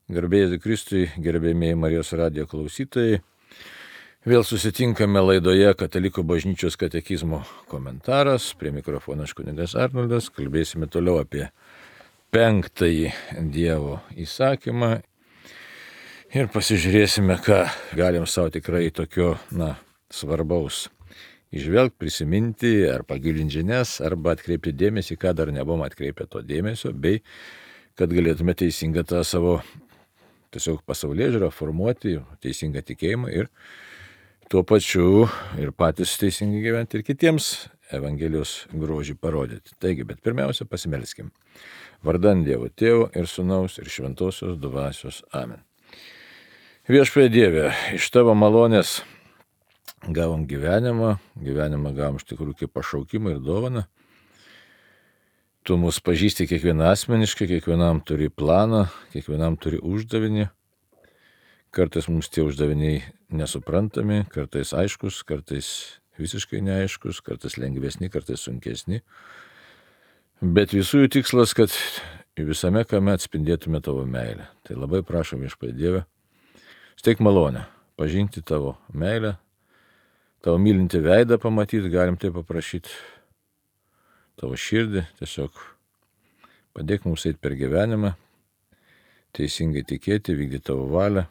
Garbėjai Kristui, gerbėjai Marijos radijo klausytojai. Vėl susitinkame laidoje Katalikų bažnyčios katekizmo komentaras. Prie mikrofono kunigas Arnoldas. Kalbėsime toliau apie 5. Dievo įsakymą. Ir pasižiūrėsime, ką galim savo tikrai tokio, svarbaus įžvelgti, prisiminti, ar pagilinti žinias, arba atkreipti dėmesį, ką dar nebuvom atkreipę to dėmesio, bei kad galėtume teisingą tą savo tiesiog pasaulėžiūrą formuoti, teisingą tikėjimą ir tuo pačiu ir patys teisingai gyventi ir kitiems Evangelijos grožį parodyti. Taigi, bet pirmiausia pasimelskim. Vardan Dievo Tėvo ir Sūnaus ir Šventosios Dvasios. Amen. Viešpatie Dieve, iš Tavo malonės gavom gyvenimą gavom iš tikrųjų kaip pašaukimą ir dovaną. Tu mus pažįsti kiekvieną asmeniškai, kiekvienam turi planą, kiekvienam turi uždavinį. Kartais mums tie uždaviniai nesuprantami, kartais aiškus, kartais visiškai neaiškus, kartais lengvesni, kartais sunkesni. Bet visų jų tikslas, kad visame kame atspindėtume Tavo meilę. Tai labai prašom Viešpatie Dieve, steik malonę pažinti Tavo meilę, Tavo mylintį veidą pamatyti, galim tai paprašyti. Tavo širdį, tiesiog padėk mums eiti per gyvenimą, teisingai tikėti, vykdyti Tavo valią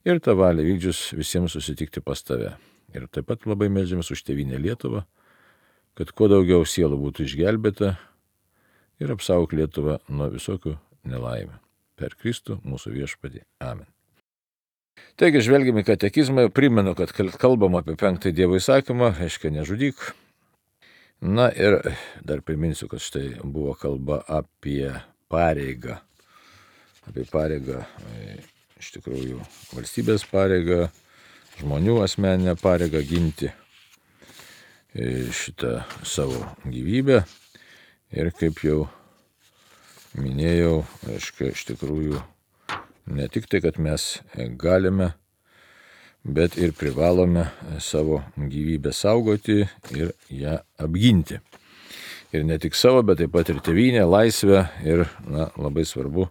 ir tą valią vykdžius visiems susitikti pas Tave. Ir taip pat labai meldžiamės už tėvynę Lietuvą, kad kuo daugiau sielų būtų išgelbėta ir apsaugok Lietuvą nuo visokių nelaimių. Per Kristų mūsų Viešpatį. Amen. Taigi, žvelgiame į katekizmą, primenu, kad kalbam apie 5. Dievo įsakymą, reiškia nežudyk. Ir dar priminsiu, kad štai buvo kalba apie pareigą. Apie pareigą, iš tikrųjų, valstybės pareigą, žmonių asmeninę pareigą ginti šitą savo gyvybę. Ir kaip jau minėjau, reiškia, iš tikrųjų, ne tik tai, kad mes galime, bet ir privalome savo gyvybę saugoti ir ją apginti. Ir ne tik savo, bet taip pat ir tėvynę, laisvę ir, labai svarbu,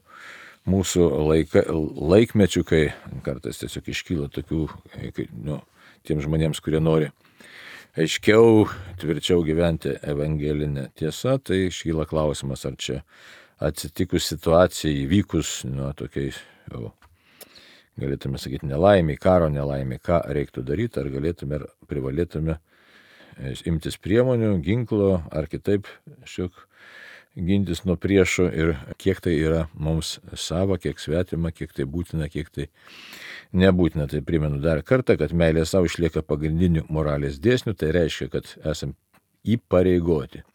mūsų laikmečių, kai kartais tiesiog iškyla tokių, tiem žmonėms, kurie nori aiškiau, tvirčiau gyventi evangelinę tiesą, tai iškyla klausimas, ar čia atsitikus situacijai, įvykus, tokiais jau galėtume sakyti nelaimė, karo nelaimė, ką reiktų daryti, ar galėtume, ar privalėtume imtis priemonių, ginklo, ar kitaip šiek gintis nuo priešo ir kiek tai yra mums sava, kiek svetima, kiek tai būtina, kiek tai nebūtina. Tai primenu dar kartą, kad meilė savo išlieka pagrindiniu moralės dėsniu, tai reiškia, kad esam įpareigoti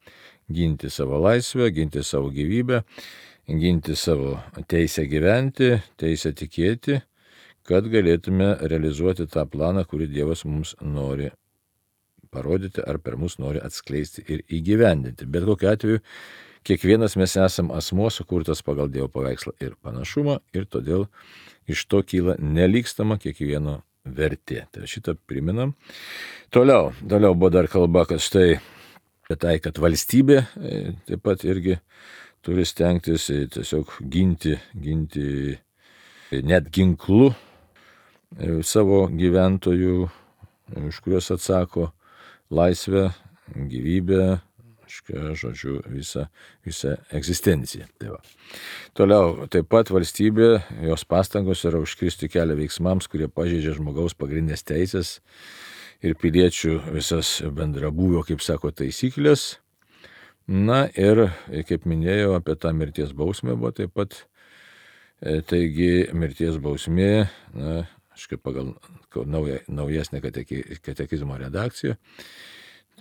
ginti savo laisvę, ginti savo gyvybę, ginti savo teisę gyventi, teisę tikėti, kad galėtume realizuoti tą planą, kurį Dievas mums nori parodyti ar per mus nori atskleisti ir įgyvendinti. Bet kokiu atveju, kiekvienas mes esam asmuo sukurtas pagal Dievo paveikslą ir panašumą ir todėl iš to kyla nelygstama kiekvieno vertė. Tai šitą priminam. Toliau buvo dar kalba, kad štai kad valstybė taip pat irgi turi stengtis tiesiog ginti net ginklu savo gyventojų, už kuriuos atsako laisvę, gyvybę, žodžiu, visą egzistenciją. Tai va. Toliau, taip pat valstybė, jos pastangos yra užkirsti kelią veiksmams, kurie pažeidžia žmogaus pagrindinės teisės ir piliečių visas bendrabūvio, kaip sako, taisyklės. Ir, kaip minėjau, apie tą mirties bausmę buvo taip pat. Taigi, mirties bausmė, pagal naujesnę katekizmo redakciją,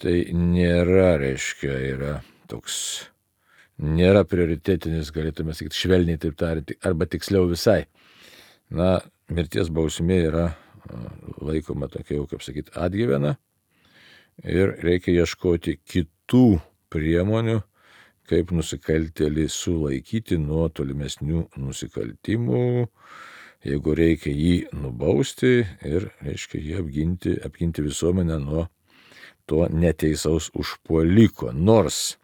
tai nėra, nėra prioritetinis, galėtume sakyti, švelniai taip tariant, arba tiksliau visai. Mirties bausmė yra laikoma tokia jau, kaip sakyti, atgyvena ir reikia ieškoti kitų priemonių, kaip nusikaltėlį sulaikyti nuo tolimesnių nusikaltimų, jeigu reikia jį nubausti ir, jį apginti visuomenę nuo to neteisaus užpuoliko. Nors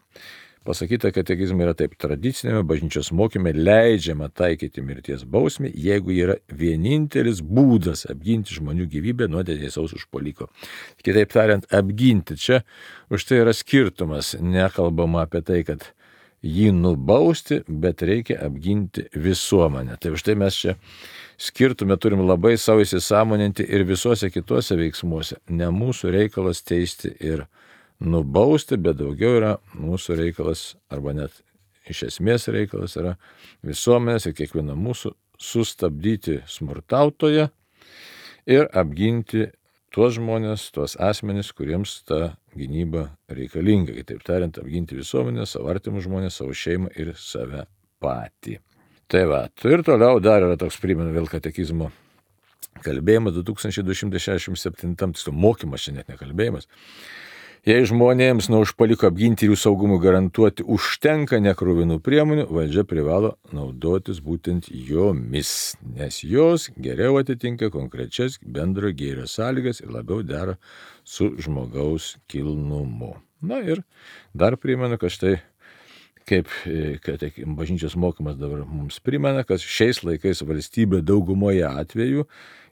Pasakyta katekizme yra taip: tradicinėme bažnyčios mokyme leidžiama taikyti mirties bausmę, jeigu yra vienintelis būdas apginti žmonių gyvybę nuo neteisaus užpuoliko. Kitaip tariant, apginti. Čia už tai yra skirtumas. Nekalbama apie tai, kad jį nubausti, bet reikia apginti visuomenę. Tai už tai mes čia skirtume turim labai savo įsisąmoninti ir visuose kituose veiksmuose. Ne mūsų reikalas teisti ir nubausti, bet daugiau yra mūsų reikalas, arba net iš esmės reikalas yra visuomenės ir kiekvieno mūsų sustabdyti smurtautoją ir apginti tuos žmonės, tuos asmenis, kuriems ta gynyba reikalinga. Kitaip tariant, apginti visuomenę, savo artimus žmonės, savo šeimą ir save patį. Tai va, ir toliau dar yra toks, primenu vėl katekizmo kalbėjimas 2267, mokymas čia net nekalbėjimas. Jei žmonėms nuo užpuoliko apginti ir jų saugumui garantuoti užtenka nekruvinų priemonių, valdžia privalo naudotis būtent jomis, nes jos geriau atitinka konkrečias bendro gėrio sąlygas ir labiau dera su žmogaus kilnumu. Na ir dar primenu, kad štai kaip bažnyčios mokymas dabar mums primena, kad šiais laikais valstybė daugumoje atvejų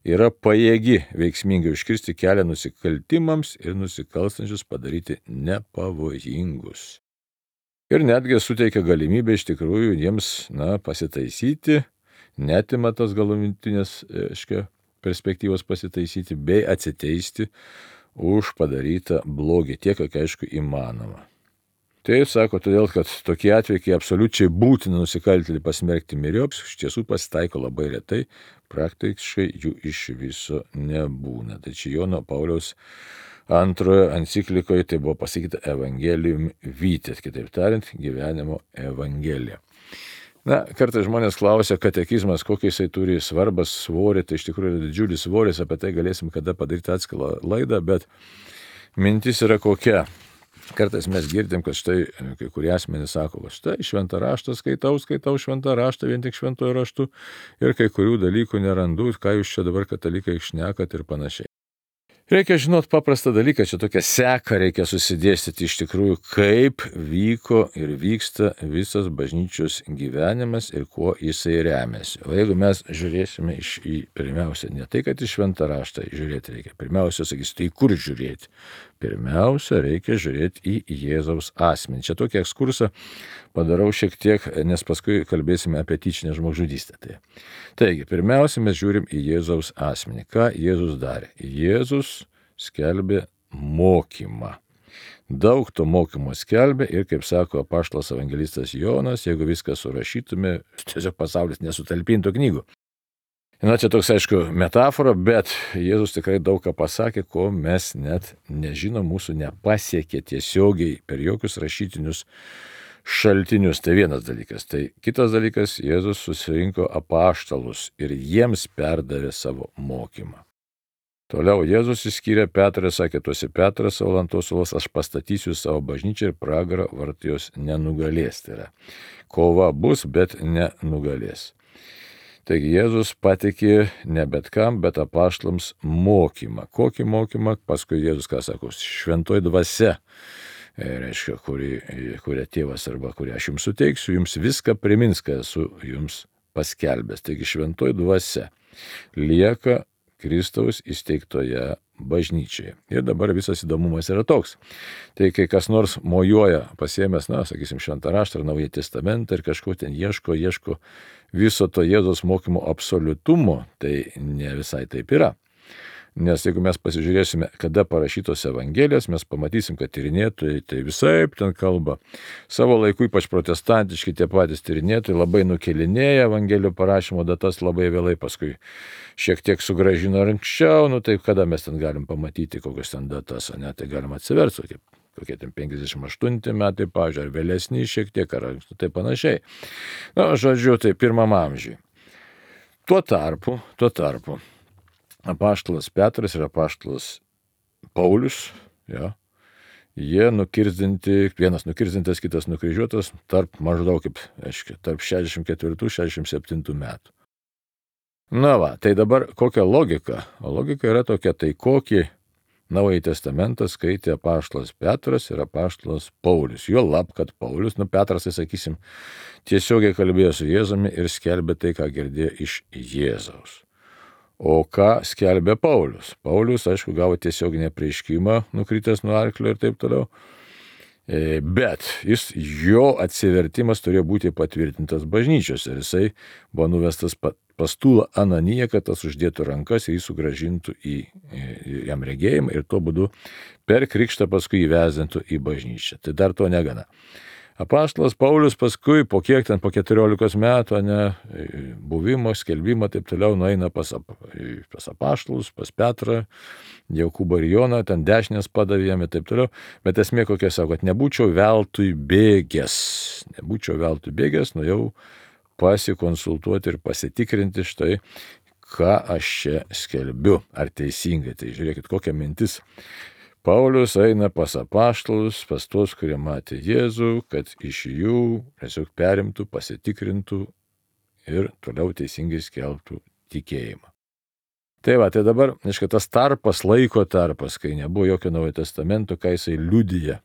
yra pajėgi veiksmingai užkirsti kelią nusikaltimams ir nusikalstančius padaryti nepavojingus. Ir netgi suteikia galimybę iš tikrųjų jiems pasitaisyti, netima tos galutinės perspektyvos pasitaisyti, bei atsiteisti už padarytą blogį tiek, kiek aišku įmanoma. Tai sako, todėl, kad tokie atvejai, kai absoliučiai būtina nusikaltėlį pasmerkti myriop, iš tiesų pasitaiko labai retai, praktiškai jų iš viso nebūna. Tai čia Jono Pauliaus antrojo enciklikoje tai buvo pasakyta Evangelium Vitae, kitaip tariant, gyvenimo evangelija. Na, kartais žmonės klausia, katekizmas, kokį jisai turi svarbą, svorį, tai iš tikrųjų yra didžiulis svoris, apie tai galėsim kada padaryti atskirą laidą, bet mintis yra kokia. Kartais mes girdim, kad štai kai kurie asmenys sako, kad štai šventą raštą skaitau šventą raštą vien tik šventojo raštu ir kai kurių dalykų nerandu, ką jūs čia dabar katalikai šnekat ir panašiai. Reikia žinot paprastą dalyką, čia tokią seką reikia susidėstyti iš tikrųjų, kaip vyko ir vyksta visas bažnyčios gyvenimas ir kuo jisai remiasi. O jeigu mes žiūrėsime pirmiausia, ne tai, kad į šventą raštą žiūrėti reikia, pirmiausia, sakysite, į kur žiūrėti? Pirmiausia, reikia žiūrėti į Jėzaus asmenį. Čia tokį ekskursą padarau šiek tiek, nes paskui kalbėsime apie tyčinę žmogžudystę. Taigi, pirmiausia, mes žiūrim į Jėzaus asmenį. Ką Jėzus darė? Jėzus skelbė mokymą. Daug to mokymo skelbė ir, kaip sako apaštalas evangelistas Jonas, jeigu viską surašytume, tiesiog pasaulis nesutalpintų knygų. Na, čia toks, aišku, metafora, bet Jėzus tikrai daug ką pasakė, ko mes net nežinom, mūsų nepasiekė tiesiogiai per jokius rašytinius šaltinius. Tai vienas dalykas. Tai kitas dalykas, Jėzus susirinko apaštalus ir jiems perdavė savo mokymą. Toliau Jėzus išskyrė Petrą ir sakė, tu esi Petras, savo lantos uolas, aš pastatysiu savo bažnyčią ir pragaro vartai jos nenugalės. Tai yra, kova bus, bet nenugalės. Taigi Jėzus patikė ne bet kam, bet apaštalams mokymą. Kokį mokymą? Paskui Jėzus, ką sako, šventoji dvasia, reiškia, kurią tėvas arba kurią aš jums suteiksiu, jums viską primins, ką esu jums paskelbęs. Taigi šventoji dvasia lieka Kristaus įsteigtoje bažnyčioje. Ir dabar visas įdomumas yra toks. Tai kai kas nors mojuoja pasiėmęs, sakysim, šventą raštą ar Naująjį testamentą ir kažko ten ieško viso to Jėzaus mokymo absoliutumo, tai ne visai taip yra. Nes jeigu mes pasižiūrėsime, kada parašytos Evangelijos, mes pamatysim, kad tyrinėtojai tai visaip ten kalba. Savo laiku, ypač protestantiški tie patys tyrinėtojai, labai nukelinėja Evangelijų parašymo datas labai vėlai, paskui šiek tiek sugrąžino anksčiau, tai kada mes ten galim pamatyti kokios ten datas, tai galim atsiversti, kokie ten 58 metai, pavyzdžiui, ar vėlesni šiek tiek, ar tai panašiai. Žodžiu, tai pirmam amžiui. Tuo tarpu, apaštalas Petras ir apaštalas Paulius, jie nukirzdinti, vienas nukirzdintas, kitas nukryžiuotas tarp maždaug tarp 64-67 metų. Tai dabar kokia logika? O logika yra tokia, tai kokį Naująjį testamentą skaitė apaštalas Petras ir apaštalas Paulius. Jo lab, kad Paulius, Petras, tai sakysim, tiesiogiai kalbėjo su Jėzumi ir skelbė tai, ką girdėjo iš Jėzaus. O ką skelbė Paulius? Paulius, aišku, gavo tiesioginį apreiškimą, nukritęs nuo arklio ir taip toliau. Bet jo atsivertimas turėjo būti patvirtintas bažnyčios ir jisai buvo nuvestas pas Tūlą Ananiją, kad tas uždėtų rankas ir jį sugrąžintų jam regėjimą ir tuo būdu per krikštą paskui įvezintų į bažnyčią. Tai dar to negana. Apaštalas Paulius paskui po 14 metų buvimo, skelbimo taip toliau nueina pas apaštalus, pas Petrą, Jokūbą ir Joną, ten dešinės padavė jam ir taip toliau. Bet esmė kokia, sako, kad nebūčiau veltui bėgęs, nuėjau pasikonsultuoti ir pasitikrinti štai, ką aš čia skelbiu, ar teisingai. Tai žiūrėkit, kokia mintis. Paulius eina pas apaštalus, pas tuos, kurie matė Jėzų, kad iš jų tiesiog perimtų, pasitikrintų ir toliau teisingai skelbtų tikėjimą. Tai dabar, tas laiko tarpas, kai nebuvo jokio Naujojo testamento, ką jisai liudija.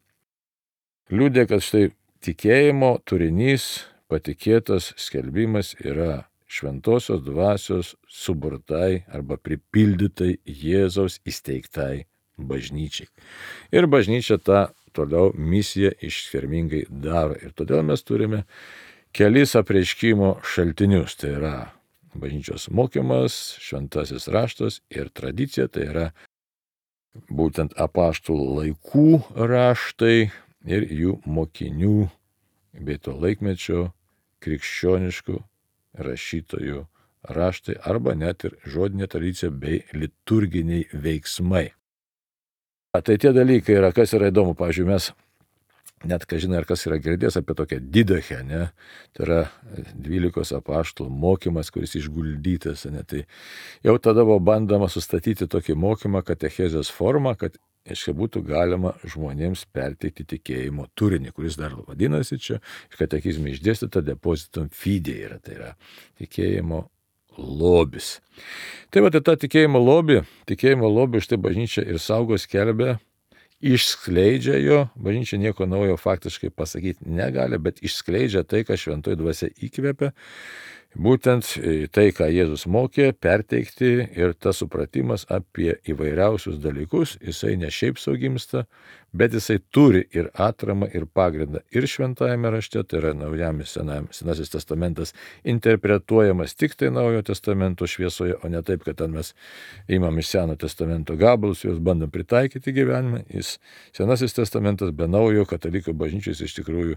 Liudija, kad štai tikėjimo turinys, patikėtas skelbimas yra šventosios dvasios suburtai arba pripildytai Jėzaus įsteigtai bažnyčiai. Ir bažnyčia tą toliau misiją išskirmingai daro. Ir todėl mes turime kelis apreiškimo šaltinius. Tai yra bažnyčios mokymas, šventasis raštas ir tradicija. Tai yra būtent apaštalų laikų raštai ir jų mokinių bei to laikmečio krikščioniškų rašytojų raštai arba net ir žodinė tradicija bei liturginiai veiksmai. Tai tie dalykai yra, kas yra įdomu. Pavyzdžiui, mes net, žinai, ar kas yra girdėjęs apie tokią didachę, tai yra 12 apaštalų mokymas, kuris išguldytas, tai jau tada buvo bandoma sustatyti tokį mokymą katechezės formą, kad būtų galima žmonėms perteikti tikėjimo turinį, kuris dar vadinasi čia, katekizme išdėstyta depositum fide yra, tai yra tikėjimo lobis. Tai tą tikėjimo lobį štai bažnyčia ir saugo, skelbia, išskleidžia jo, bažnyčia nieko naujo faktiškai pasakyti negali, bet išskleidžia tai, ką šventoji dvasia įkvėpia, būtent tai, ką Jėzus mokė, perteikti ir tas supratimas apie įvairiausius dalykus, jisai ne šiaip sau gimsta, bet jisai turi ir atramą, ir pagrindą ir šventajame rašte, tai yra Senasis testamentas interpretuojamas tik tai Naujojo testamento šviesoje, o ne taip, kad ten mes imam iš Seno testamento gabalus, juos bandom pritaikyti gyvenime. Senasis testamentas be Naujojo katalikų bažnyčios iš tikrųjų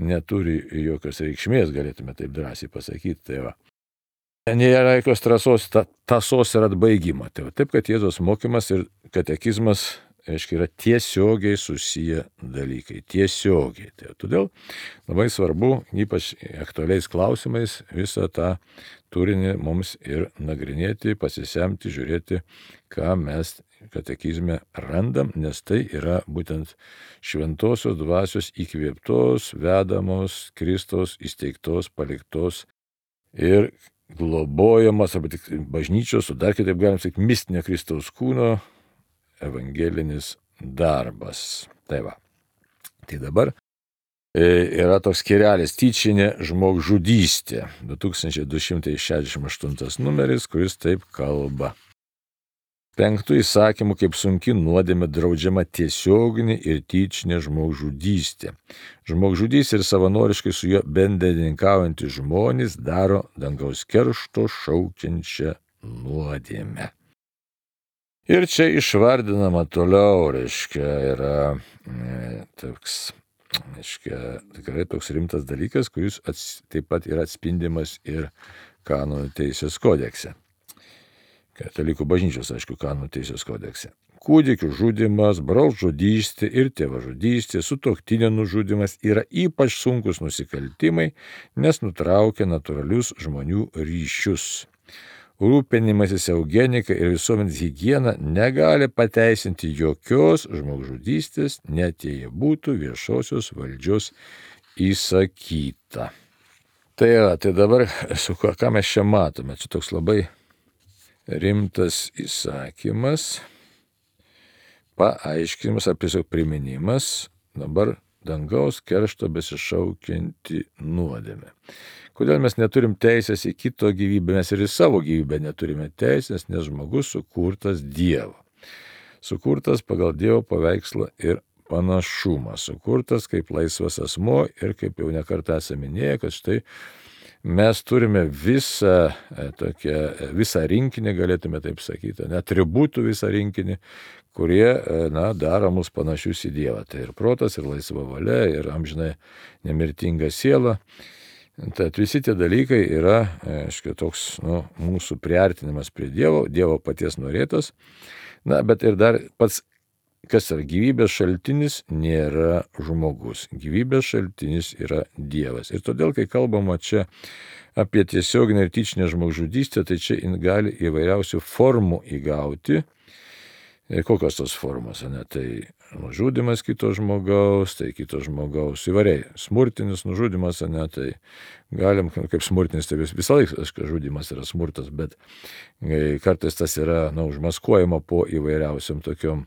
neturi jokios reikšmės, galėtume taip drąsiai pasakyti. Nėra jokios tąsos ir atbaigimo. Taip, kad Jėzaus mokymas ir katekizmas yra tiesiogiai susiję dalykai. Tiesiogiai. Todėl labai svarbu, ypač aktualiais klausimais, visą tą turinį mums ir nagrinėti, pasisemti, žiūrėti, ką mes katekizme randam, nes tai yra būtent šventosios dvasios įkvėptos, vedamos, Kristaus įsteigtos, paliktos ir globojamas, arba tik bažnyčios, o dar kitaip galim sakyti, mistinio Kristaus kūno evangelinis darbas. Tai dabar yra toks skyrelis tyčinė žmogžudystė, 2268 numeris, kuris taip kalba. 5 įsakymų kaip sunki nuodėmė draudžiama tiesioginė ir tyčinė žmogžudystė. Žmogžudys ir savanoriškai su juo bendrininkaujantys žmonės daro dangaus keršto šaukiančią nuodėmę. Ir čia išvardinama toliau, yra toks, tikrai toks rimtas dalykas, kuris taip pat yra atspindimas ir kanonų teisės kodekse. Katalikų bažnyčios, kanonų teisės kodekse. Kūdikių žudymas, brolžudystė ir tėvažudystė, sutuoktinio nužudymas yra ypač sunkus nusikaltimai, nes nutraukia natūralius žmonių ryšius. Rūpinimasis eugenika ir visuomenės higiena negali pateisinti jokios žmogžudystės, net jei būtų viešosios valdžios įsakyta. Tai dabar, ką mes čia matome, čia toks labai rimtas įsakymas, paaiškinimas ar tiesiog priminimas dabar dangaus keršto besišaukianti nuodėmė. Kodėl mes neturim teisės į kito gyvybę, mes ir į savo gyvybę neturime teisės, nes žmogus sukurtas Dievo. Sukurtas pagal Dievo paveikslą ir panašumą, sukurtas kaip laisvas asmuo ir kaip jau nekartą esame minėję, kad štai mes turime visą rinkinį, galėtume taip sakyti, atributų visą rinkinį, kurie daro mus panašius į Dievą. Tai ir protas, ir laisva valia, ir amžinai nemirtinga siela. Tad visi tie dalykai yra, toks mūsų priartinimas prie Dievo, Dievo paties norėtas. Bet ir dar pats, kas yra gyvybės šaltinis, nėra žmogus. Gyvybės šaltinis yra Dievas. Ir todėl, kai kalbama čia apie tiesioginę ir tyčinę žmogžudystę, tai čia gali įvairiausių formų įgauti. Kokios tos formos? Tai nužudymas kito žmogaus, tai kito žmogaus įvairiai. Smurtinis nužudymas, tai galim, kaip smurtinis, tai visą laiką žudymas yra smurtas, bet kartais tas yra užmaskuojama po įvairiausiam tokiom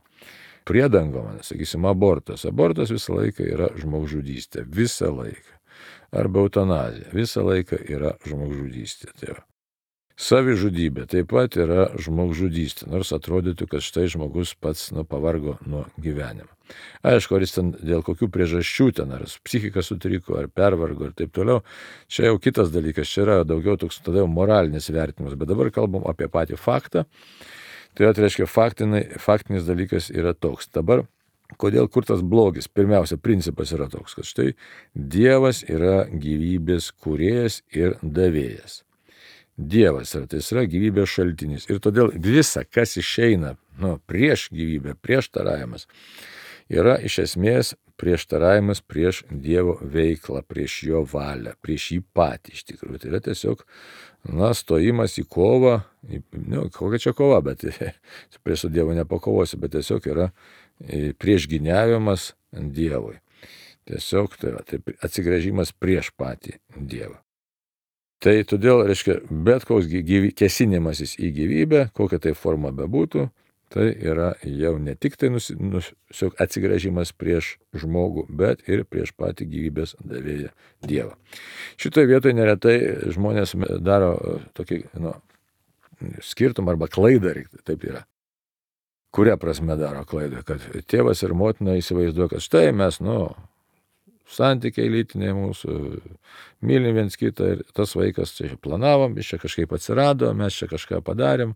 priedangom, sakysim, abortas. Abortas visą laiką yra žmogžudystė, visą laiką. Arba eutanazija, visą laiką yra žmogžudystė. Tai savižudybė taip pat yra žmogžudystė, nors atrodytų, kad štai žmogus pats pavargo nuo gyvenimo. Aišku, ar jis ten dėl kokių priežasčių ten, ar psichika sutriko, ar pervargo ir taip toliau, čia jau kitas dalykas, čia yra daugiau toks tada jau moralinis vertinimas, bet dabar kalbam apie patį faktą. Tai reiškia, faktinis dalykas yra toks. Dabar, kodėl kur tas blogis? Pirmiausia, principas yra toks, kad štai Dievas yra gyvybės kūrėjas ir davėjas. Dievas yra, tai yra gyvybės šaltinis. Ir todėl visa, kas išeina prieš gyvybę, prieštaravimas, yra iš esmės prieštaravimas prieš Dievo veiklą, prieš jo valią, prieš jį patį iš tikrųjų. Tai yra tiesiog stojimas į kovą, kokia čia kova, bet prieš Dievo nepakovosi, bet tiesiog yra priešgyniavimas Dievui. Tiesiog tai atsigręžimas prieš patį Dievą. Tai todėl, reiškia, bet koks kesinimasis į gyvybę, kokia tai forma bebūtų, tai yra jau ne tik tai atsigręžimas prieš žmogų, bet ir prieš patį gyvybės davėją Dievą. Šitoje vietoje neretai žmonės daro tokį skirtumą arba klaidą, taip yra. Kuria prasme daro klaidą? Kad tėvas ir motina įsivaizduoja, kad štai mes, santykiai lytiniai mūsų, mylim viens kitą ir tas vaikas čia planavom, jis čia kažkaip atsirado, mes čia kažką padarėm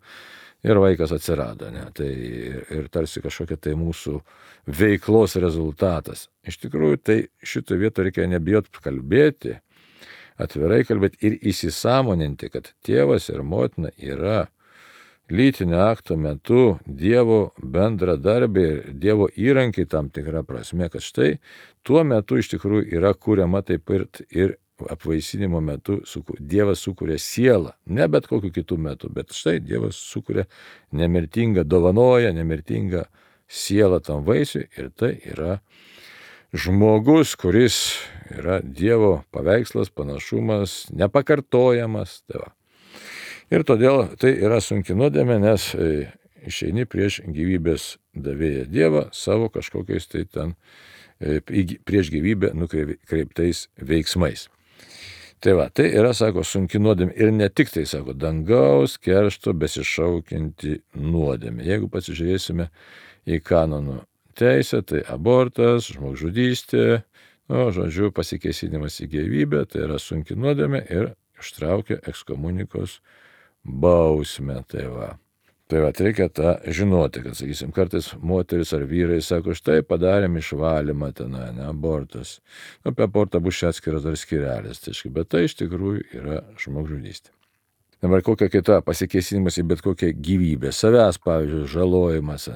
ir vaikas atsirado. Tai ir tarsi kažkokia tai mūsų veiklos rezultatas. Iš tikrųjų, tai šitoje vietoje reikia nebijot kalbėti, atvirai kalbėti ir įsisąmoninti, kad tėvas ir motina yra lytinio akto metu Dievo bendradarbiai ir Dievo įrankiai tam tikrą prasme, kad štai tuo metu iš tikrųjų yra kuriama taip ir apvaisinimo metu Dievas sukuria sielą, ne bet kokiu kitų metu, bet štai Dievas sukuria nemirtingą, dovanoja nemirtingą sielą tam vaisiui ir tai yra žmogus, kuris yra Dievo paveikslas, panašumas, nepakartojamas. Ir todėl tai yra sunki nuodėmė, nes išeini prieš gyvybės davėją Dievą savo kažkokiais tai ten prieš gyvybę nukreiptais veiksmais. Tai yra, sako, sunki nuodėmė ir ne tik tai, sako, dangaus keršto besišaukianti nuodėmė. Jeigu pasižiūrėsime į kanonų teisę, tai abortas, žmogžudystė, pasikėsinimas į gyvybę, tai yra sunki nuodėmė ir ištraukia ekskomunikos bausmę. Tai reikia tą žinoti, kad, sakysim, kartais moteris ar vyrai sako, štai padarėm išvalymą abortas. Apie abortą bus čia atskiras dar skirelis, bet tai iš tikrųjų yra žmogžudystė. Dabar kokia kita pasikėsinimas į bet kokią gyvybę, savęs, pavyzdžiui, žalojimas,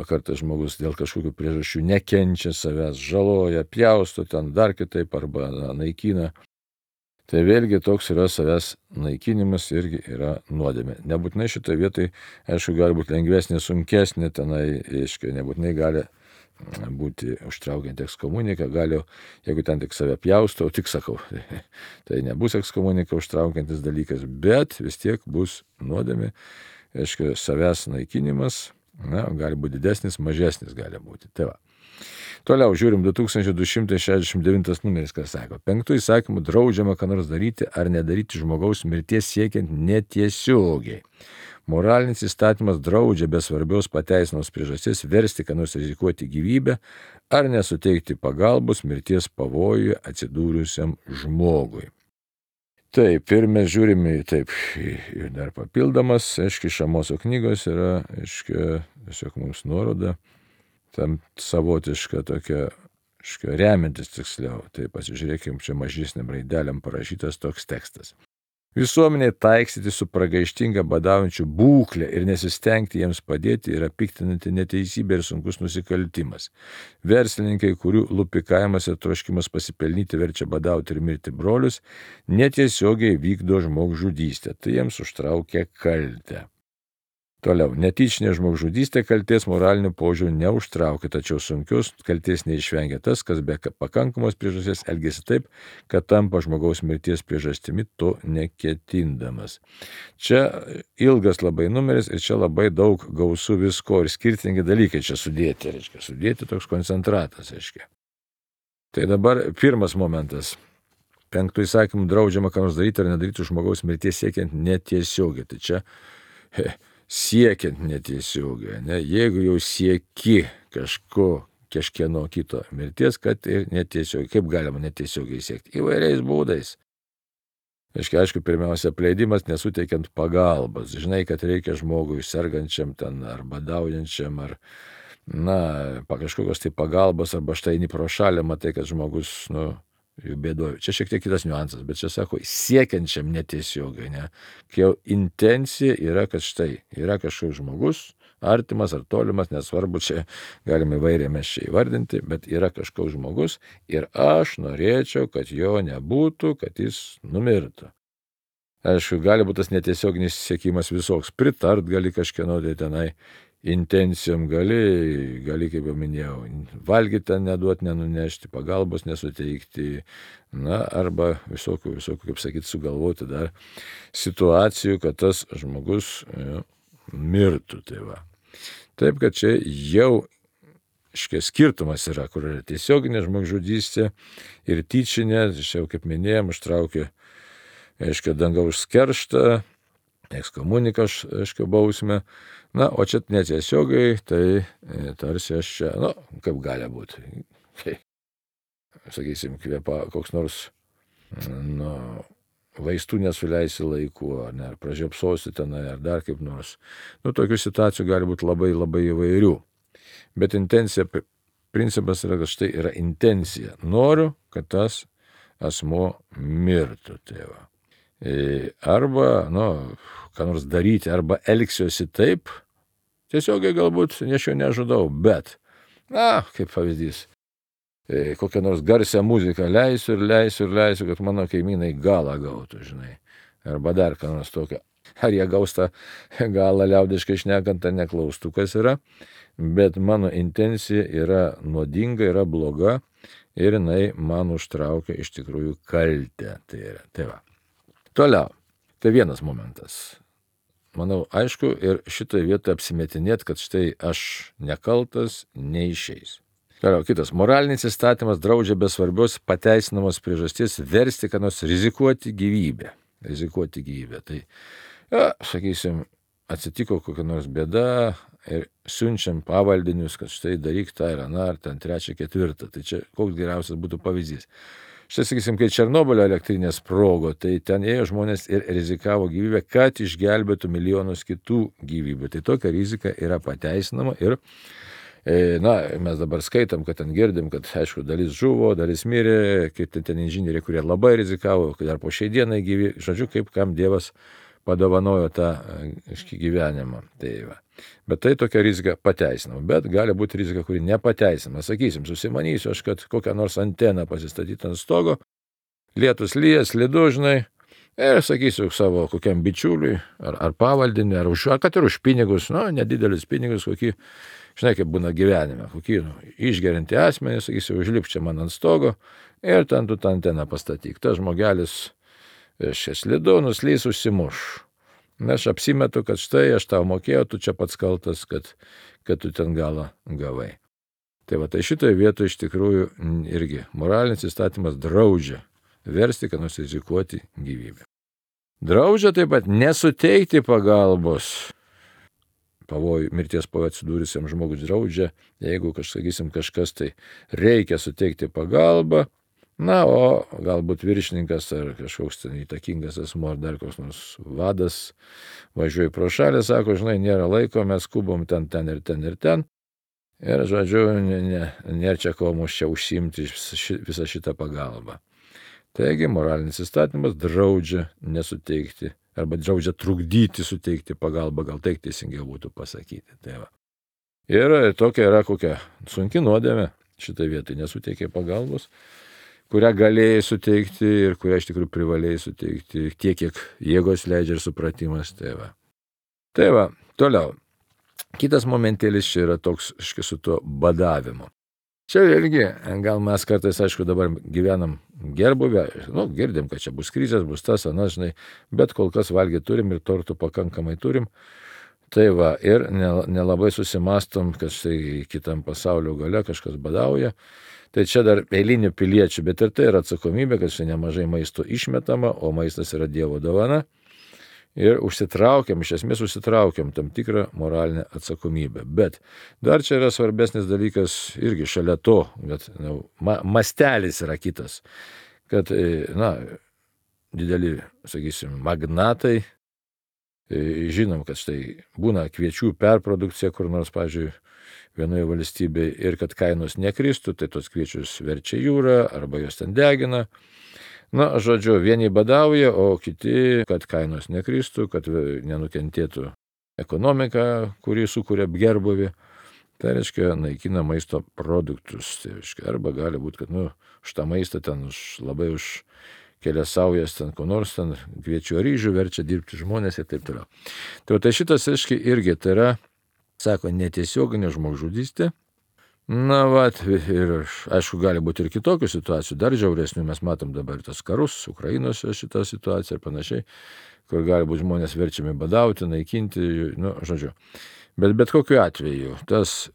kartais žmogus dėl kažkokių priežasčių nekenčia savęs, žaloja, pjausto ten dar kitaip arba naikina. Tai vėlgi toks yra savęs naikinimas irgi yra nuodėmė. Nebūtinai šitoje vietoje, aišku, gali būti lengvesnė, sunkesnė, nebūtinai gali būti užtraukiant ekskomuniką, gali, jeigu ten tik save pjausto, tik sakau, tai nebus ekskomunika užtraukiantis dalykas, bet vis tiek bus nuodėmė, savęs naikinimas, Na, gali būti didesnis, mažesnis gali būti. Tai va. Toliau žiūrim 2269 numeris, kas sako. 5 įsakymų draudžiama ką nors daryti ar nedaryti žmogaus mirties siekiant netiesiogiai. Moralinis įstatymas draudžia be svarbios pateisinos priežasties versti ką nors rizikuoti gyvybę ar nesuteikti pagalbos mirties pavojuje atsidūrusiam žmogui. Taip, ir mes žiūrime ir dar papildomas, iš Amoso knygos yra, tiesiog mums nuoroda, tam savotiška tokia, remiantis tiksliau, tai pasižiūrėkim, čia mažesniam raidelėm parašytas toks tekstas. Visuomeniai taiksyti su pragaištinga badaujančių būklę ir nesistengti jiems padėti yra piktinanti neteisybė ir sunkus nusikaltimas. Verslininkai, kurių lupikavimas ir troškimas pasipelnyti verčia badauti ir mirti brolius, netiesiogiai vykdo žmogžudystę, tai jiems užtraukia kaltę. Toliau, netyčinė žmogžudystė kaltės moralinių požiūrių neužtraukia, tačiau sunkios kaltės neišvengia tas, kas be pakankamos priežasties elgesi taip, kad tampa žmogaus mirties priežastimi to neketindamas. Čia ilgas labai numeris ir čia labai daug gausų visko ir skirtingi dalykai čia sudėti, sudėti toks koncentratas, Tai dabar pirmas momentas. 5 įsakymų draudžiama ką nors daryti ar nedaryti žmogaus mirties siekiant netiesiogiai. Tai čia siekiant netiesiogiai, ne? Jeigu jau sieki kažkieno kito mirties, kad ir netiesiogiai. Kaip galima netiesiogiai siekti? Įvairiais būdais. Aišku, pirmiausia, apleidimas nesuteikiant pagalbas. Žinai, kad reikia žmogui sergančiam ten ar badaujančiam, ar kažkokios tai pagalbos, arba štai eini pro šalį, matai, kad žmogus, jų bėdoju. Čia šiek tiek kitas niuansas, bet čia sako, siekiančiam netiesiogai, ne? Kai jau intencija yra, kad štai yra kažkoks žmogus, artimas ar tolimas, nesvarbu, čia galime įvairiai mes čia įvardinti, bet yra kažkoks žmogus ir aš norėčiau, kad jo nebūtų, kad jis numirtų. Aišku, gali būti tas netiesioginis siekimas visoks, pritart gali kažkieno tai tenai, intencijom gali, kaip jau minėjau, valgyti ten neduoti, nenunešti, pagalbos nesuteikti, arba visokių, kaip sakyti, sugalvoti dar situacijų, kad tas žmogus mirtų. Tai va. Taip, kad čia jau skirtumas yra, kur yra tiesioginė žmogžudystė ir tyčinė, čia jau kaip minėjom, užtraukia, dangaus kerštą, ekskomuniką, bausmę. O čia netiesiogai, tai tarsi aš čia, kaip gali būti. Tai, sakysim, koks nors, vaistų nesuleisi laiku, ar pražiopsosi tenai, ar dar kaip nors. Tokių situacijų gali būti labai, labai įvairių. Bet intencija, principas yra, kad štai yra intencija. Noriu, kad tas asmuo mirtų. Tai va. Arba, ką nors daryti, arba elgsiuosi taip, tiesiogiai galbūt aš jo nežudau, bet, kaip pavyzdys, kokią nors garsią muziką leisiu, kad mano kaimynai galą gautų, žinai, arba dar ką nors tokio. Ar jie gaus tą galą liaudiškai šnekant, ar neklaustukas yra, bet mano intencija yra nuodinga, yra bloga ir jinai man užtraukia iš tikrųjų kaltę. Tai va. Toliau, tai vienas momentas. Manau, aišku, ir šitoje vietoje apsimetinėt, kad štai aš nekaltas, neišeis. Toliau, kitas. Moralinis įstatymas draudžia be svarbios pateisinamos priežasties versti, kad nors rizikuoti gyvybę. Tai, sakysim, atsitiko kokia nors bėda ir siunčiam pavaldinius, kad štai daryk tą ir aną, ar ten 3, 4. Tai čia koks geriausias būtų pavyzdys. Štai, sakysim, kai Černobylio elektrinė sprogo, tai ten ėjo žmonės ir rizikavo gyvybę, kad išgelbėtų milijonus kitų gyvybių. Tai tokia rizika yra pateisinama ir, mes dabar skaitam, kad ten girdim, kad, aišku, dalis žuvo, dalis mirė, kaip ten inžinieriai, kurie labai rizikavo, kad dar po šiai dienai gyvi, žodžiu, kaip kam Dievas padovanojo tą gyvenimą. Tai va. Bet tai tokia rizika pateisinama. Bet gali būti rizika, kuri nepateisinama. Sakysim, susimanysiu aš, kad kokią nors anteną pasistatyti ant stogo, lietus lyja, slidu, žinai, ir sakysiu savo kokiam bičiuliui, ar pavaldinį, ar kad ir už pinigus, nedidelius pinigus, kokį, žinai, kaip būna gyvenime, kokį išgerinti asmenį, sakysiu, užlipk čia man ant stogo ir ten tu tą anteną pastatyk. Tas žmogelis, slidu, nuslys, užsimuš. Aš apsimetu, kad štai aš tau mokėjau, tu čia pats kaltas, kad tu ten galą gavai. Tai šitoje vietoje iš tikrųjų irgi moralinis įstatymas draudžia versti, kad rizikuoti gyvybę. Draudžia taip pat nesuteikti pagalbos pavojų, mirties pavojų atsidūrusiam žmogus, draudžia, jeigu kažkas tai reikia suteikti pagalbą, o galbūt viršininkas ar kažkoks ten įtakingas asmuo ar dar koks nors vadas važiuoja pro šalį, sako, žinai, nėra laiko, mes skubom ten ir ten ir ten. Ir, žodžiu, nėra čia ko mums čia užsiimti visą šitą pagalbą. Taigi, moralinis įstatymas draudžia nesuteikti arba draudžia trukdyti suteikti pagalbą, gal taip teisingiau būtų pasakyti. Ir tokia yra kokia sunki nuodėmė šitą vietą, nesuteikė pagalbos, kurią galėjai suteikti ir kurią iš tikrųjų privalėjai suteikti tiek, kiek jėgos leidžia ir supratimas. Toliau. Kitas momentėlis čia yra toks su tuo badavimu. Čia irgi, gal mes kartais, aišku, dabar gyvenam gerbuvę, girdim, kad čia bus krizės, bus tas, anas, žinai, bet kol kas valgyti turim ir tortų pakankamai turim. Ir nelabai susimastom, kad štai kitam pasaulio gale kažkas badauja. Tai čia dar eilinių piliečių, bet ir tai yra atsakomybė, kad čia nemažai maisto išmetama, o maistas yra Dievo dovana. Ir iš esmės užsitraukiam tam tikrą moralinę atsakomybę. Bet dar čia yra svarbesnis dalykas irgi šalia to, kad mastelis yra kitas, kad, dideli, magnatai, žinom, kad štai būna kviečių perprodukcija kur nors, pavyzdžiui, vienoje valstybėje ir kad kainos nekristų, tai tos kviečius verčia jūrą arba jos ten degina. Žodžiu, vieni badauja, o kiti, kad kainos nekristų, kad nenukentėtų ekonomika, kuri sukuria gerbuvį. Tai reiškia, naikina maisto produktus. Tai reiškia, arba gali būti, kad šitą maistą ten labai už kelias saujas ten ko nors ten kviečių ryžių verčia dirbti žmonės ir taip toliau. Tai šitas, reiškia, irgi tai yra, sako, netiesioginė žmogžudystė. Ir aišku, gali būti ir kitokių situacijų, dar žiauresnių, mes matom dabar tas karus, Ukrainos šitą situaciją ir panašiai, kur gali būti žmonės verčiami badauti, naikinti, žodžiu. Bet kokiu atveju, tas,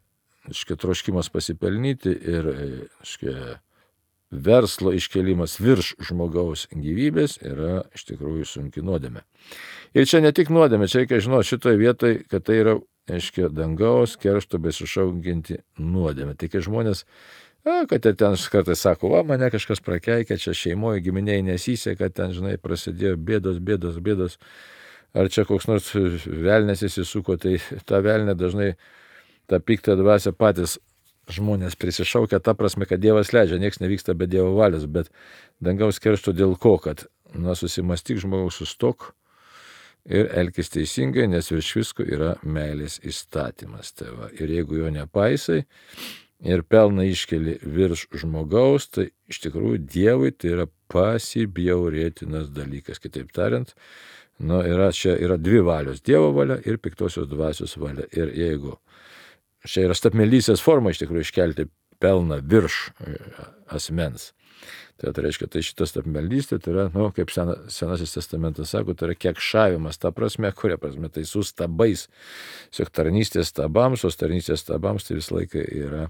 troškimas pasipelnyti ir, verslo iškelimas virš žmogaus gyvybės yra iš tikrųjų sunki nuodėmė. Ir čia ne tik nuodėmė, čia reikia žinoti šitoje vietoje, kad tai yra, dangaus keršto besišaukianti nuodėmė. Tai kai žmonės, kad ten kartais sako, mane kažkas prakeikė, čia šeimoje giminiai nesiseka, ten, žinai, prasidėjo bėdos. Ar čia koks nors velnės įsisuko, tai ta velnė dažnai, ta piktą dvasią patys žmonės prisišaukia, ta prasme, kad Dievas leidžia, nieks nevyksta be Dievo valios, bet dangaus keršto dėl ko, kad, susimastyk žmogaus, sustok ir elkis teisingai, nes virš visko yra meilės įstatymas. Ir jeigu jo nepaisai ir pelną iškeli virš žmogaus, tai iš tikrųjų Dievui tai yra pasibjaurėtinas dalykas. Kitaip tariant, yra dvi valios, Dievo valia ir piktosios dvasios valia. Ir jeigu čia yra stabmeldystės forma iš tikrųjų iškelti pelną virš asmens, tai reiškia, tai šitas stabmeldystė, tai yra, kaip Senasis testamentas sako, tai yra kekšavimas, ta prasme, kuria prasme, tai su stabais, tiesiog tarnystės stabams, o tarnystės stabams tai visą laiką yra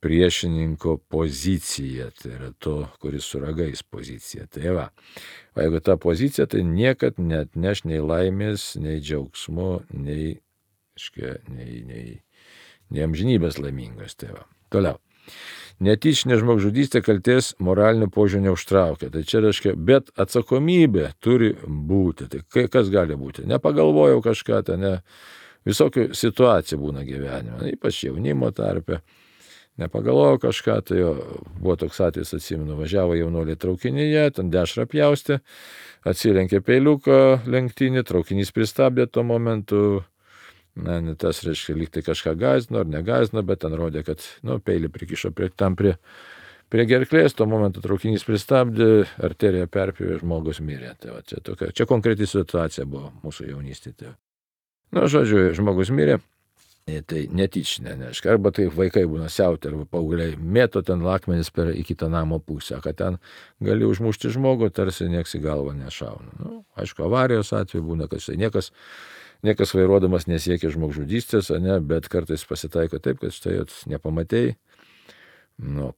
priešininko pozicija, tai yra to, kuris su ragais pozicija. Tai o jeigu ta pozicija, tai niekad neatneš nei laimės, nei džiaugsmo, nei amžinybės laimingos. Toliau. Netyčinė žmogžudystė kaltės moralinių požiūrių neužtraukia. Tai čia reiškia, bet atsakomybė turi būti. Tai kas gali būti? Nepagalvojau kažką, visokių situacijų būna gyvenime, ypač jaunimo tarpe. Nepagalvojau kažką, tai buvo toks atvejis, atsimenu, važiavo jaunuoliai traukinyje, ten dešrą pjaustė, atsilenkė peiliuką lenktinį, traukinys pristabdė tuo momentu. Tas reiškia, lyg tai kažką gąsdino ar negąsdino, bet ten rodė, kad peilį prikišo prie gerklės, tuo momentu traukinys pristabdė, arterija perpjovė, žmogus mirė. Čia konkreti situacija buvo mūsų jaunystėje. Žodžiu, žmogus mirė, Tai netyčinė, neaiškia. Arba tai vaikai būna siauti, arba paaugliai mėto ten lakmenis į kitą namo pusę, kad ten gali užmušti žmogų, tarsi nieks į galvą nešauna. Nu, aišku, avarijos atveju būna, kad štai niekas vairuodamas nesiekia žmogžudystės, bet kartais pasitaiko taip, kad štai nepamatėjai.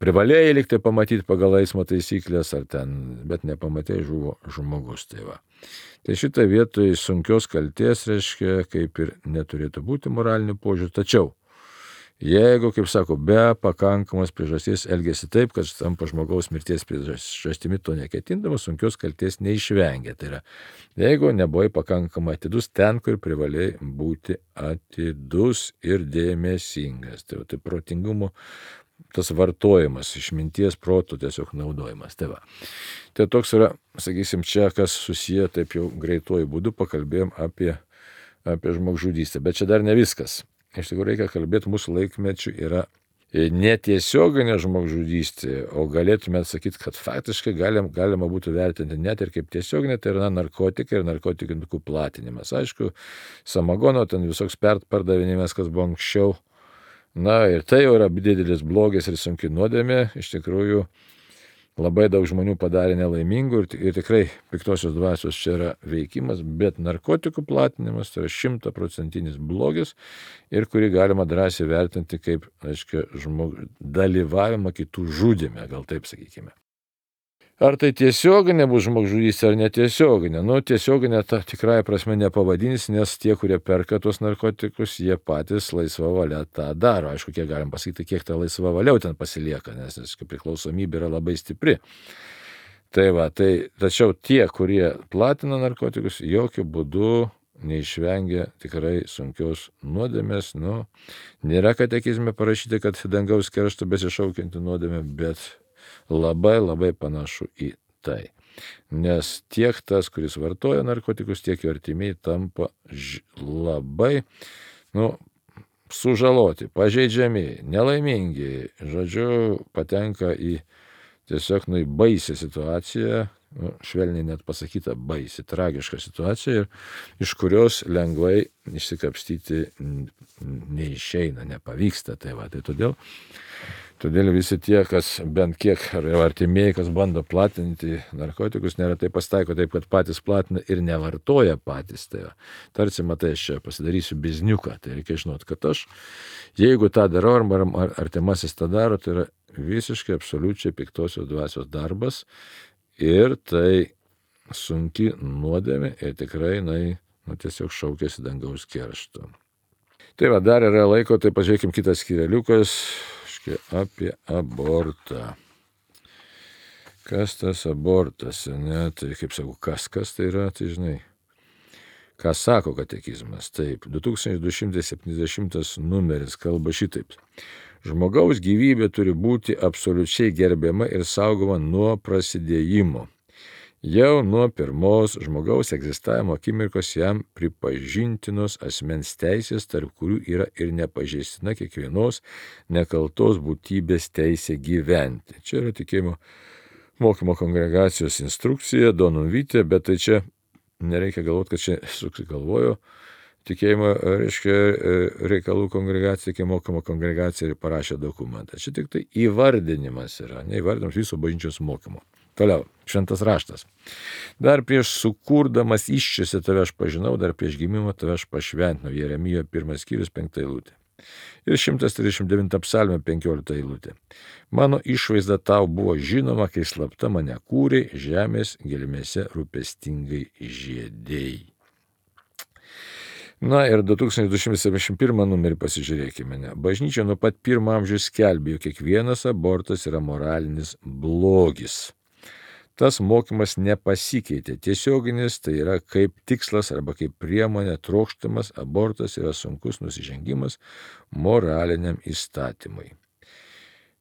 Privalėjai likti pamatyti pagal eismo taisyklės, bet nepamatėjai, žuvo žmogus. Tai šitą vietoj sunkios kaltės, reiškia, kaip ir neturėtų būti moralinių požiūrių. Tačiau, jeigu, kaip sako, be pakankamos priežasties elgesi taip, kad tampa žmogaus mirties priežastimi to neketindamas, sunkios kaltės neišvengia. Tai yra, jeigu nebuvai pakankamai atidus ten, kur privalėjai būti atidus ir dėmesingas. Tai protingumo tas vartojimas, išminties proto tiesiog naudojimas. Tai toks yra, sakysim, čia, kas susiję taip jau greituoju būdu, pakalbėjom apie žmogžudystę. Bet čia dar ne viskas. Iš tikrųjų reikia kalbėti, mūsų laikmečių yra netiesioginė žmogžudystė, o galėtume sakyti, kad faktiškai galima būtų vertinti net ir kaip tiesioginė, tai yra narkotikai ir narkotikų platinimas. Aišku, samagono ten visoks pardavinėjimas, kas buvo anksčiau. Ir tai jau yra didelis blogis ir sunki nuodėmė. Iš tikrųjų, labai daug žmonių padarė nelaimingų ir tikrai piktosios dvasios čia yra veikimas, bet narkotikų platinimas tai yra 100% blogis ir kurį galima drąsiai vertinti kaip, aiškiai, dalyvavimą kitų žudyme, gal taip sakykime. Ar tai tiesioginė bus žmogžudystė ar netiesioginė? Tiesioginė ta tikrąja prasme nepavadins, nes tie, kurie perka tos narkotikus, jie patys laisva valia tą daro. Aišku, kiek galim pasakyti, kiek ta laisva valia ten pasilieka, nes priklausomybė yra labai stipri. Tačiau tie, kurie platina narkotikus, jokių būdų neišvengia tikrai sunkios nuodėmės. Nėra katekizme parašyti, kad dangaus keršto besišaukianti nuodėmė, bet labai labai panašu į tai. Nes tiek tas, kuris vartoja narkotikus, tiek jo artimiai tampa labai sužaloti, pažeidžiami, nelaimingi. Žodžiu, patenka į tiesiog baisią situaciją, švelniai net pasakyta baisi, tragiška situacija, iš kurios lengvai išsikapstyti neišeina, nepavyksta. Tai todėl visi tie, kas bent kiek artimieji, kas bando platinti narkotikus, neretai pasitaiko taip, kad patys platina ir nevartoja patys. Tarsi, matai, aš čia pasidarysiu bizniuką, tai reikia žinoti, kad aš, jeigu tą darau, ar artimasis tą daro, tai yra visiškai absoliučiai piktosios dvasios darbas ir tai sunki nuodėmė ir tikrai tiesiog šaukėsi dangaus keršto. Dar yra laiko, tai pažiūrėkim kitas skyreliukas apie abortą. Kas tas abortas? Tai kaip sakau, kas tai yra, tai žinai. Ką sako katekizmas? Taip, 2270 numeris kalba šitaip. Žmogaus gyvybė turi būti absoliučiai gerbiama ir saugoma nuo prasidėjimo. Jau nuo pirmos žmogaus egzistavimo akimirkos jam pripažintinos asmens teisės, tarp kurių yra ir nepažeistina kiekvienos nekaltos būtybės teisė gyventi. Čia yra tikėjimo mokymo kongregacijos instrukcija, Donum Vitae, bet tai čia nereikia galvoti, kad čia susigalvojo tikėjimo, reikalų kongregacija, tikėjimo mokymo kongregacija ir parašė dokumentą. Čia tik tai įvardinimas yra, neįvardinimas viso bažnyčios mokymo. Toliau, šventas raštas. Dar prieš sukurdamas iščiose tave aš pažinau, dar prieš gimimą tave aš pašventinau. Jeremijo 1 skyrius 5 eilutė. Ir 139 psalmė 15 eilutė. Mano išvaizda tau buvo žinoma, kai slapta mane kūrė, žemės gelmėse rūpestingai žiedėjai. Ir 2271 numerį pasižiūrėkime. Bažnyčia nuo pat pirmo amžiaus skelbė, jog kiekvienas abortas yra moralinis blogis. Tas mokymas nepasikeitė. Tiesioginis tai yra kaip tikslas arba kaip priemonė trokštamas abortas yra sunkus nusižengimas moraliniam įstatymui.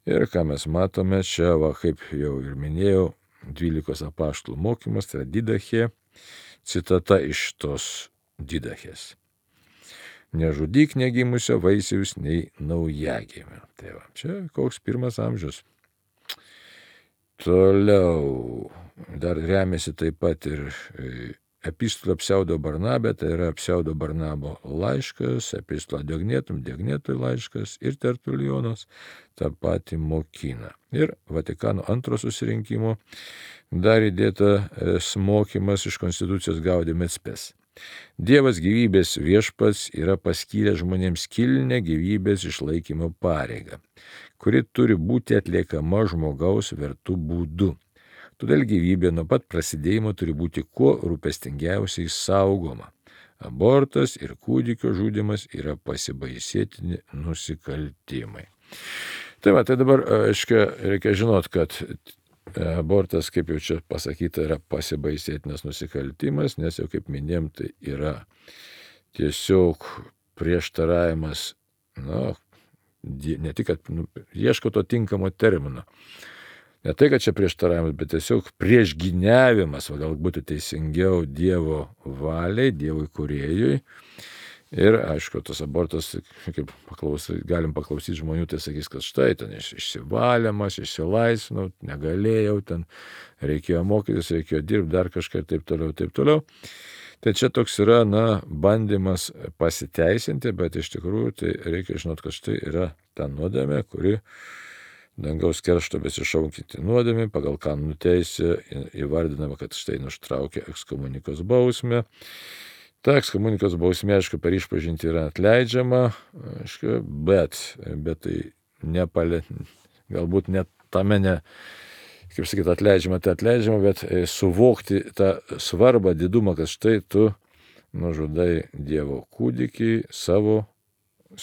Ir ką mes matome čia, kaip jau ir minėjau, 12 apaštalų mokymas, tai yra Didachė, citata iš tos Didachės. Nežudyk negimusio vaisiaus nei naujagimio. Čia koks pirmas amžius. Toliau dar remiasi taip pat ir Epistola pseudo Barnabė, tai yra pseudo Barnabo laiškas, epistola Diognetum, Diognetui laiškas ir Tertulionas tą patį mokina. Ir Vatikano antro susirinkimo dar įdėta mokymas iš Konstitucijos Gaudium et Spes. Dievas gyvybės viešpats yra paskyręs žmonėms kilnę gyvybės išlaikymo pareigą, kuri turi būti atliekama žmogaus vertų būdu. Todėl gyvybė nuo pat prasidėjimo turi būti kuo rūpestingiausiai saugoma. Abortas ir kūdikio žudymas yra pasibaisėtini nusikaltimai. Tai dabar, reikia žinot, kad abortas, kaip jau čia pasakyta, yra pasibaisėtinas nusikaltimas, nes jau kaip minėjom, tai yra tiesiog prieštaravimas, ne tik, kad ieško to tinkamo termino. Ne tai, kad čia prieštaravimas, bet tiesiog priešgyniavimas, galbūt teisingiau Dievo valiai, Dievui kūrėjui. Ir aišku, tas abortas, kaip galim paklausyti žmonių, tai sakys, kad štai ten išsivalymas, išsilaisvinau, negalėjau, ten reikėjo mokytis, reikėjo dirbti, dar kažką ir taip toliau. Tai čia toks yra, bandymas pasiteisinti, bet iš tikrųjų tai reikia žinot, kad štai yra ta nuodėmė, kuri dangaus keršto besišaukianti nuodėmė, pagal kanonų teisę įvardinama, kad štai nuštraukia ekskomunikos bausmę. Ta ekskomunikos bausmė, aišku, per išpažintį yra atleidžiama, aišku, bet tai galbūt net tame kaip sakyti, atleidžiama, bet suvokti tą svarbą, didumą, kad štai tu nužudai Dievo kūdikį, savo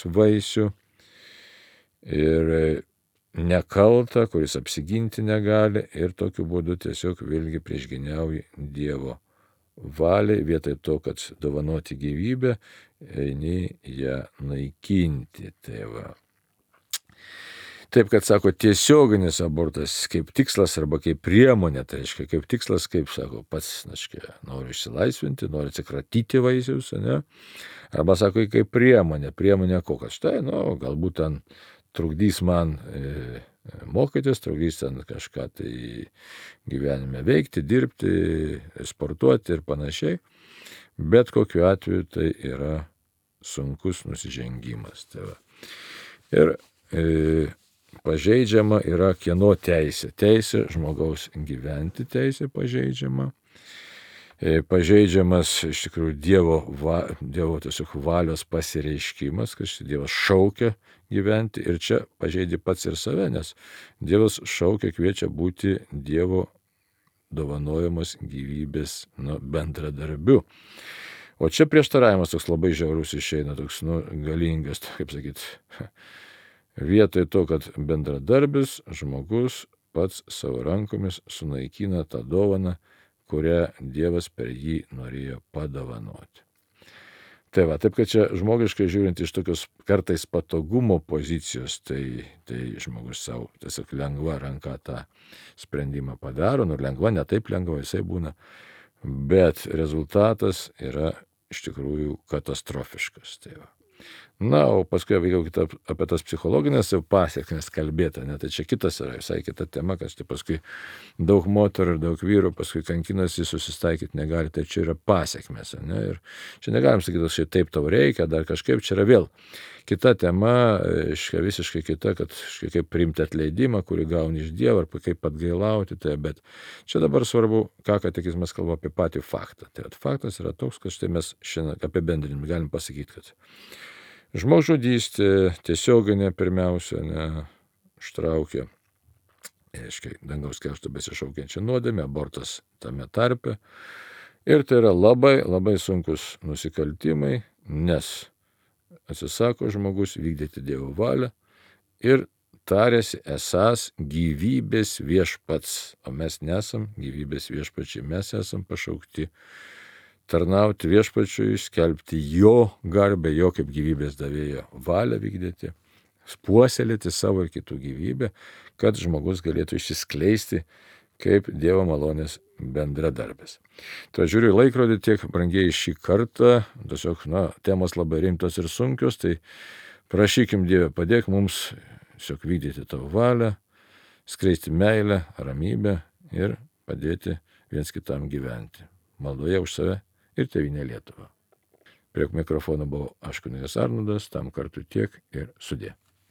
vaisių ir nekaltą, kuris apsiginti negali ir tokiu būdu tiesiog vėlgi priešgyniauji Dievo valiai, vietoj to, kad dovanoti gyvybę, eini ją naikinti. Taip, kad sako, tiesioginis abortas kaip tikslas arba kaip priemonė, tai reiškia kaip tikslas, kaip sako, pats, noriu išsilaisvinti, noriu atsikratyti vaisius, ne? Arba sako, kaip priemonė kokias. Štai, galbūt ten trukdys man mokytis, trukdys ten kažką tai gyvenime veikti, dirbti, sportuoti ir panašiai. Bet kokiu atveju tai yra sunkus nusižengimas. Ir pažeidžiama yra kieno teisė. Teisė žmogaus gyventi, teisė pažeidžiama. Pažeidžiamas iš tikrųjų Dievo tiesiog valios pasireiškimas, kad Dievas šaukia gyventi ir čia pažeidži pats ir save, nes Dievas šaukia, kviečia būti Dievo dovanojamos gyvybės bendradarbiu. O čia prieštaravimas toks labai žiaurus išeina, toks galingas, kaip sakyti, vietoj to, kad bendradarbis žmogus pats savo rankomis sunaikina tą dovaną, kurią Dievas per jį norėjo padovanoti. Taip, kad čia žmogiškai žiūrint iš tokios kartais patogumo pozicijos, tai žmogus savo tiesiog lengva ranka tą sprendimą padaro, lengva, ne taip lengva, jisai būna, bet rezultatas yra iš tikrųjų katastrofiškas. O paskui jau apie tas psichologinės pasiekmes kalbėta, tai čia kitas yra, visai kita tema, kad tai paskui daug moterų ir daug vyrų paskui kankinasi, susistaikyti negali, tai čia yra pasiekmes. Ir čia negalim sakyti, kad štai taip tau reikia, dar kažkaip, čia yra vėl kita tema, visiškai kita, kad kaip priimti atleidimą, kurį gauni iš Dievo, arba kaip atgailauti, bet čia dabar svarbu, ką katekizmas kalba apie patį faktą. Faktas yra toks, kad štai mes šiandien apibendrinimą galim pasakyti, kad žmogžudystė tiesioginė pirmiausia ištraukia, dangaus keršto besišaukiančią nuodėmę, abortas tame tarpe. Ir tai yra labai, labai sunkus nusikaltimai, nes atsisako žmogus vykdyti Dievo valią ir tarėsi esąs gyvybės viešpats, o mes nesam gyvybės viešpačiai, mes esam pašaukti tarnauti viešpačiui, skelbti jo garbę, jo kaip gyvybės davėjo valią vykdyti, puoselėti savo ir kitų gyvybę, kad žmogus galėtų išsiskleisti kaip Dievo malonės bendradarbis. Tai žiūriu į laikrodį, tiek brangiai šį kartą, tiesiog, temos labai rimtos ir sunkios, tai prašykim Dievę, padėk mums tiesiog vykdyti tavo valią, skleisti meilę, ramybę ir padėti viens kitam gyventi. Maldoje už save ir Tėvynę Lietuvą. Prie mikrofono buvau aš kunigas Arnoldas, tam kartu tiek ir sudie.